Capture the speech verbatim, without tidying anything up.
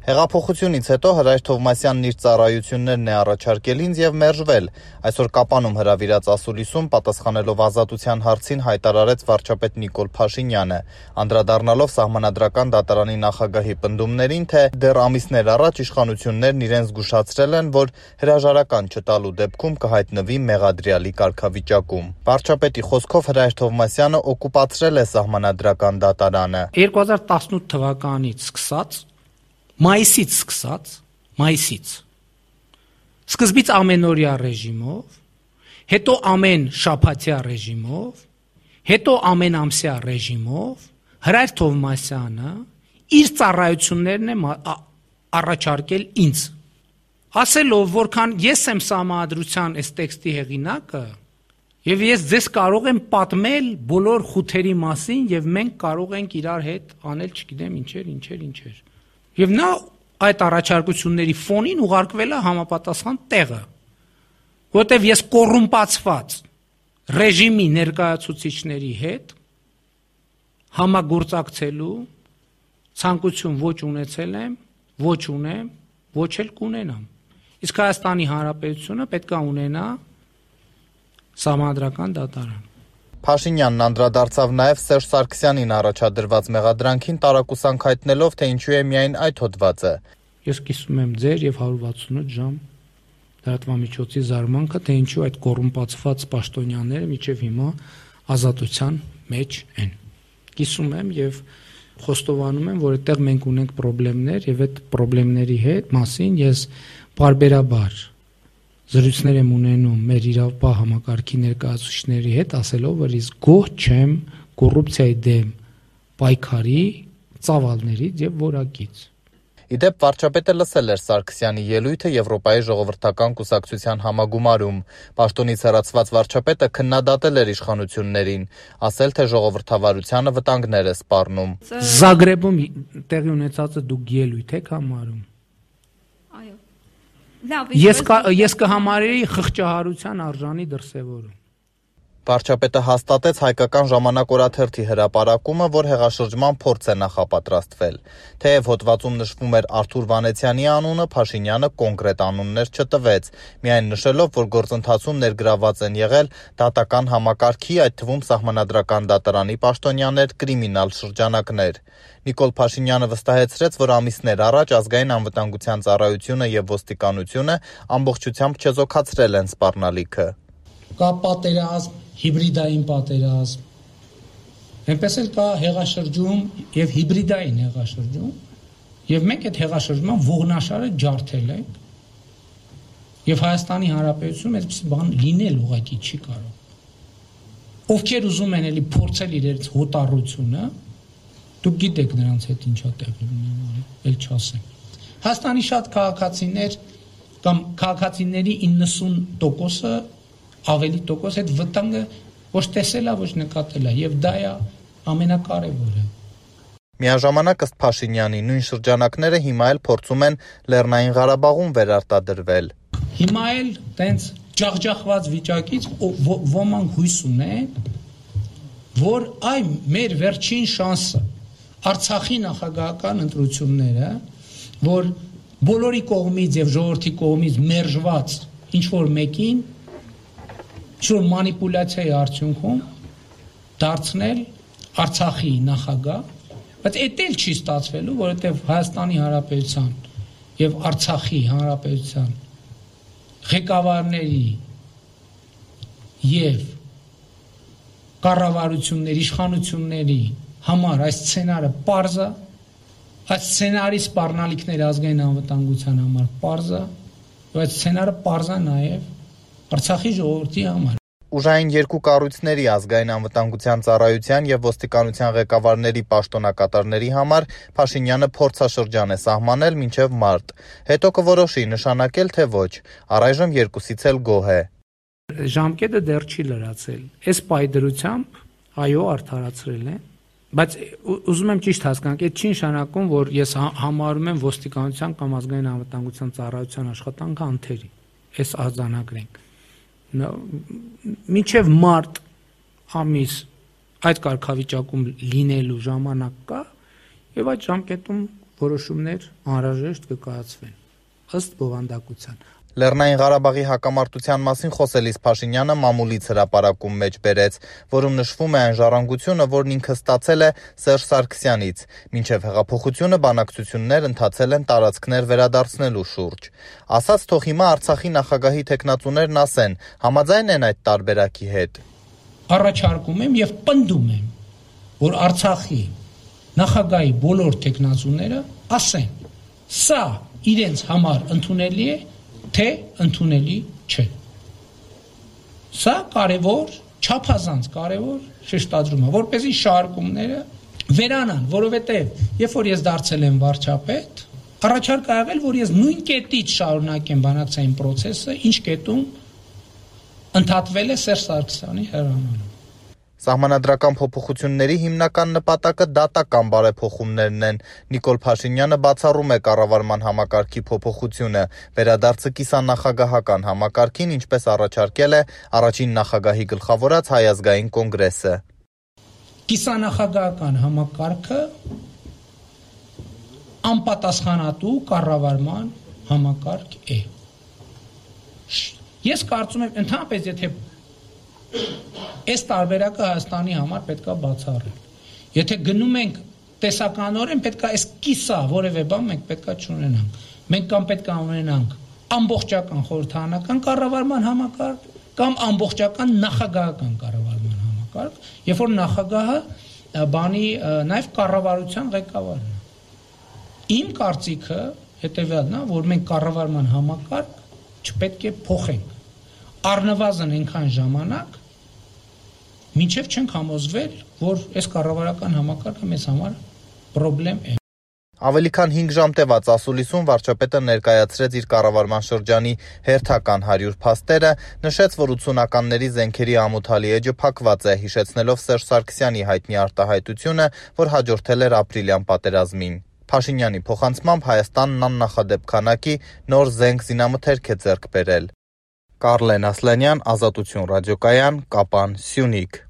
Հեղափոխությունից հետո Հրայր Թովմասյանն իր ծառայություններն է առաջարկել ինձ եւ մերժվել։ Այսօր Կապանում հրավիրած ասուլիսում պատասխանելով ազատության հարցին հայտարարեց վարչապետ Նիկոլ Փաշինյանը, անդրադառնալով Սահմանադրական դատարանի նախագահի պնդումներին, թե դեռ ամիսներ առաջ իշխանություններն իրեն զգուշացրել են, որ հրաժարական չտալու դեպքում կհայտնվի մեղադրյալի կարգավիճակում։ Վարչապետի խոսքով Հրայր Թովմասյանը օկուպացրել է Սահմանադրական դատարանը։ երկու հազար տասնութ թվականից սկսած Մայիսից սկսած, մայիսից, սկզբից ամենօրյա ռեժիմով, հետո ամեն շաբաթյա ռեժիմով, հետո ամեն ամսյա ռեժիմով, Հրայր Թովմասյանը իր ծառայություններն է առաջարկել ինձ, ասելով, որքան ես եմ Սահմանադրության այս տեքստի հեղինակը, եւ ես ձեզ կարող եմ պատմել բոլոր խութերի մասին, եւ մենք կարող ենք իրար հետ անել, չգիտեմ, ինչեր, ինչեր, ինչեր։ Եվ նա այդ առաջարկությունների ֆոնին ուղարկվել է համապատասխան տեղը, որտեղ ես կոռումպացված ռեժիմի ներկայացուցիչների հետ համագործակցելու ցանկություն ոչ ունեցել եմ, ոչ ունեմ, ոչ էլ կունենամ։ Իսկ Հայաստանի Հանրապետությունը պետք է ունենա Սահմանադրական դատարան։ Փաշինյանն անդրադարձավ նաև Սերժ Սարգսյանին առաջադրված մեղադրանքին տարակուսանք հայտնելով, թե ինչու է միայն այդ հոդվածը։ Ես կիսում եմ ձեր եւ հարյուր վաթսունութ ժամ լրատվամիջոցի զարմանքը, թե ինչու այդ կոռումպացված պաշտոնյաները մինչեւ հիմա ազատության մեջ են։ Կիսում եմ եւ խոստովանում եմ, որ այդտեղ մենք ունենք խնդիրներ եւ այդ խնդիրների հետ մասին ես բարբերաբար զրույցներ եմ ունենում մեր իրավապահ համակարգի ներկայացուցիչների հետ, ասելով, որ ես գոհ չեմ կոռուպցիայի դեմ պայքարի ծավալներից եւ որակից։ Իդեպ վարչապետը լսել էր Սարգսյանի ելույթը Եվրոպայի ժողովրդական կուսակցության համագումարում։ Պաշտոնից հեռացված վարչապետը քննադատել էր իշխանություններին, ասել, թե ժողովրդավարությանը վտանգներ է սպառնում։ Զագրեբում տեղի ունեցածը դուք ելույթ եք համարում։ Ես ես կհամարեի խղճահարության արժանի դրսևորում։ Վարչապետը հաստատեց Հայկական ժամանակ օրաթերթի հրապարակումը, որ հեղաշրջման փորձ է նախապատրաստվել։ Թեև հոդվածում նշվում էր Արթուր Վանեցյանի անունը, Փաշինյանը կոնկրետ անուններ չտվեց, միայն նշելով, որ գործընթացում ներգրաված են եղել դատական համակարգի, այդ թվում Սահմանադրական դատարանի պաշտոնյաներ, կրիմինալ շրջանակներ։ Նիկոլ Փաշինյանը վստահեցրեց, որ ամիսներ առաջ Ազգային անվտանգության ծառայությունը եւ ոստիկանությունը ամբողջությամբ չեզոքացրել են սպառնալիքը։ Կա պատերազմ, հիբրիդային պատերազմ, այնպես էլ կա հեղաշրջում եւ հիբրիդային հեղաշրջում, եւ մենք այդ հեղաշրջման ողնաշարը ջարդել ենք, եւ Հայաստանի Հանրապետությունում այդպես բան լինել ուղղակի չի կարող։ Ովքեր ուզում են էլի փորձել իրենց հոտառությունը, դուք գիտեք նրանց հետ ինչա տեղի ունենալու, էլ չասեմ։ Հայաստանի շատ քաղաքացիներ կամ քաղաքացիների իննսուն տոկոսը ավելի տոկոս այդ վտանգը ոչ տեսել է, ոչ նկատել է, եւ դա է ամենակարևորը։ Միաժամանակ ըստ Փաշինյանի նույն շրջանակները հիմա էլ փորձում են Լեռնային Ղարաբաղում վերարտադրվել։ Հիմա էլ տենց ջախջախված վիճակից ոմանք հույս ունեն, որ այ մեր վերջին շանսը Արցախի նախագահական ընտրությունները, որ բոլորի կողմից եւ ժողովրդի կողմից մերժված ինչ որ մեկին ինչ-որ մանիպուլյացիայի արդյունքում դարձնել Արցախի նախագահ, բայց էդ էլ չի ստացվելու, որովհետև Հայաստանի Հանրապետության եւ Արցախի Հանրապետության ղեկավարների եւ կառավարությունների, իշխանությունների համար այս սցենարը պարզ է, այս սցենարի սպառնալիքները ազգային անվտանգության համար պարզ է, եւ այս սցենարը պարզ է նաեւ Արցախի ժողովրդի համար։ Ուժային երկու կառույցների ազգային անվտանգության ծառայության եւ ոստիկանության ղեկավարների պաշտոնակատարների համար Փաշինյանը փորձաշրջան է սահմանել մինչեւ մարտ։ Հետո կորոշի նշանակել թե ոչ։ Առայժմ երկուսից էլ գոհ է։ Ժամկետը դեռ չի լրացել։ Այս պայդրությամբ այո արդարացրել են, բայց ուզում եմ ճիշտ հասկանալ, այդ չի նշանակում, որ ես համարում եմ ոստիկանության կամ ազգային անվտանգության ծառայության աշխատանքը անթերի։ Այս արձանագրենք։ Մինչև մարտ ամիս այդ կարգավիճակում լինելու ժամանակ կա եւ այդ ժամկետում որոշումներ անհրաժեշտ կկայացվեն ըստ բովանդակության։ Լեռնային Ղարաբաղի հակամարտության մասին խոսելիս Փաշինյանը մամուլից հրապարակում մեջ բերեց, որում նշվում է այն ժառանգությունը, որն ինքը ստացել է Սերժ Սարգսյանից, մինչև հեղափոխությունը բանակցություններ ընթացել են տարածքներ վերադարձնելու շուրջ։ Ասաց, թող հիմա Արցախի նախագահի թեկնածուներն ասեն, համաձայն են այդ տարբերակի հետ։ Առաջարկում եմ եւ պնդում եմ, որ Արցախի նախագահի բոլոր թեկնածուները ասեն, սա իրենց համար ընդունելի է, թե ընդունելի չէ։ Սա կարևոր, չափազանց կարևոր շեշտադրում է, որպեսզի շարժումները վերանան, որովհետև երբ որ ես դարձել եմ վարչապետ, առաջարկ ա եղել, որ ես նույն կետից շարունակեմ բանակցային process-ը, ինչ կետում ընդհատվել է Սերժ Սարգսյանի հրամանով։ Սահմանադրական փոփոխությունների հիմնական նպատակը դատական բարեփոխումներն են։ Նիկոլ Փաշինյանը բացառում է կառավարման համակարգի փոփոխությունը, վերադարձը կիսանախագահական համակարգին, ինչպես առաջարկել է առաջին նախագահի գլխավորած Հայ ազգային կոնգրեսը։ Կիսանախագահական համակարգը անպատասխանատու կառավարման համակարգ է։ Ես կարծում եմ, ընդհանրապես եթե այս տարբերակը Հայաստանի համար պետք է բացառել։ Եթե գնում ենք տեսականորեն, պետք է այս կիսա որևէ բան մենք պետք է չունենանք։ Մենք կամ պետք է ունենանք ամբողջական խորհրդարանական կառավարման համակարգ կամ ամբողջական նախագահական կառավարման համակարգ, երբ որ նախագահը բանի նաև կառավարության ղեկավարն է։ Իմ կարծիքը հետևյալն է, որ մենք կառավարման համակարգ չպետք է փոխենք։ Առնվազն այնքան ժամանակ, մինչև չենք համոզվել, որ այս կառավարական համակարգը մեզ համար պրոբլեմ է։ Ավելի քան հինգ ժամ տևած ասուլիսում վարչապետը ներկայացրեց իր կառավարման շրջանի հերթական հարյուր փաստերը, նշեց, որ ութսունականների զենքերի ամոթալի էջը փակված է, հիշեցնելով Սերժ Սարգսյանի հայտնի արտահայտությունը, որ հաջորդել էր ապրիլյան պատերազմին։ Փաշինյանի փոխանցմամբ Հայաստանն աննախադեպ քանակի նոր զենք զինամթերք է ձեռք բերել։ Կարլեն Ասլանյան, Ազատություն ռադիոկայան, Կապան, Սյունիք։